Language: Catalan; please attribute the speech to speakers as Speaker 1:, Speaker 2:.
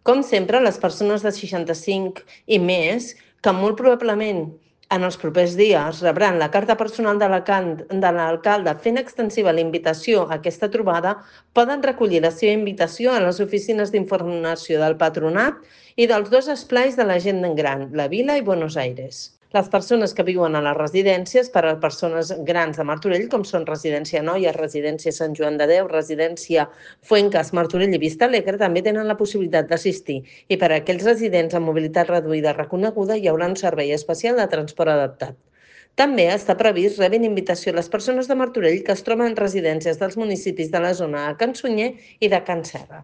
Speaker 1: Com sempre, les persones de 65 i més, que molt probablement en els propers dies rebran la carta personal de l'alcalde fent extensiva la invitació a aquesta trobada, poden recollir la seva invitació a les oficines d'informació del Patronat i dels dos esplais de la gent gran, la Vila i Buenos Aires. Les persones que viuen a les residències per a persones grans de Martorell, com són Residència Noia, Residència Sant Joan de Déu, Residència Fuencas, Martorell i Vista Alegre, també tenen la possibilitat d'assistir. I per a aquells residents amb mobilitat reduïda reconeguda hi haurà un servei especial de transport adaptat. També està previst rebin invitació a les persones de Martorell que es troben en residències dels municipis de la zona de Can Sunyer i de Can Serra.